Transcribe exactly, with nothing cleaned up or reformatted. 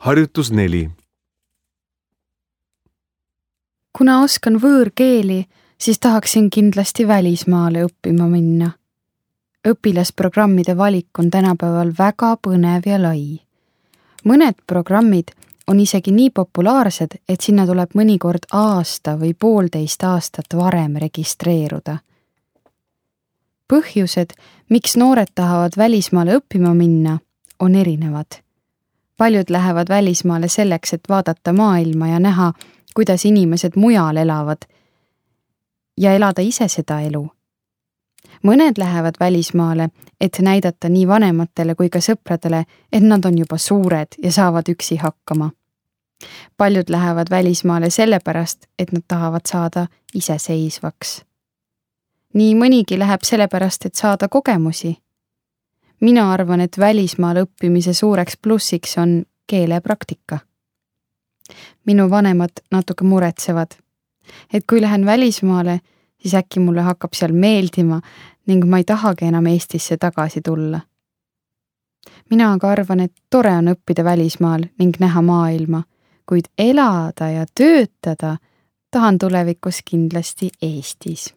Harjutus neli. Kuna oskan võõrkeeli, siis tahaksin kindlasti välismaale õppima minna. Õpilasprogrammide valik on tänapäeval väga põnev ja lai. Mõned programmid on isegi nii populaarsed, et sinna tuleb mõnikord aasta või poolteist aastat varem registreeruda. Põhjused, miks noored tahavad välismaale õppima minna, on erinevad. Paljud lähevad välismaale selleks, et vaadata maailma ja näha, kuidas inimesed mujal elavad ja elada ise seda elu. Mõned lähevad välismaale, et näidata nii vanematele kui ka sõpradele, et nad on juba suured ja saavad üksi hakkama. Paljud lähevad välismaale sellepärast, et nad tahavad saada iseseisvaks. Nii mõnigi läheb sellepärast, et saada kogemusi. Mina arvan, et välismaal õppimise suureks plussiks on keelepraktika. Minu vanemad natuke muretsevad, et kui lähen välismaale, siis äkki mulle hakkab seal meeldima ning ma ei tahagi enam Eestisse tagasi tulla. Mina aga arvan, et tore on õppida välismaal ning näha maailma, kuid elada ja töötada tahan tulevikus kindlasti Eestis.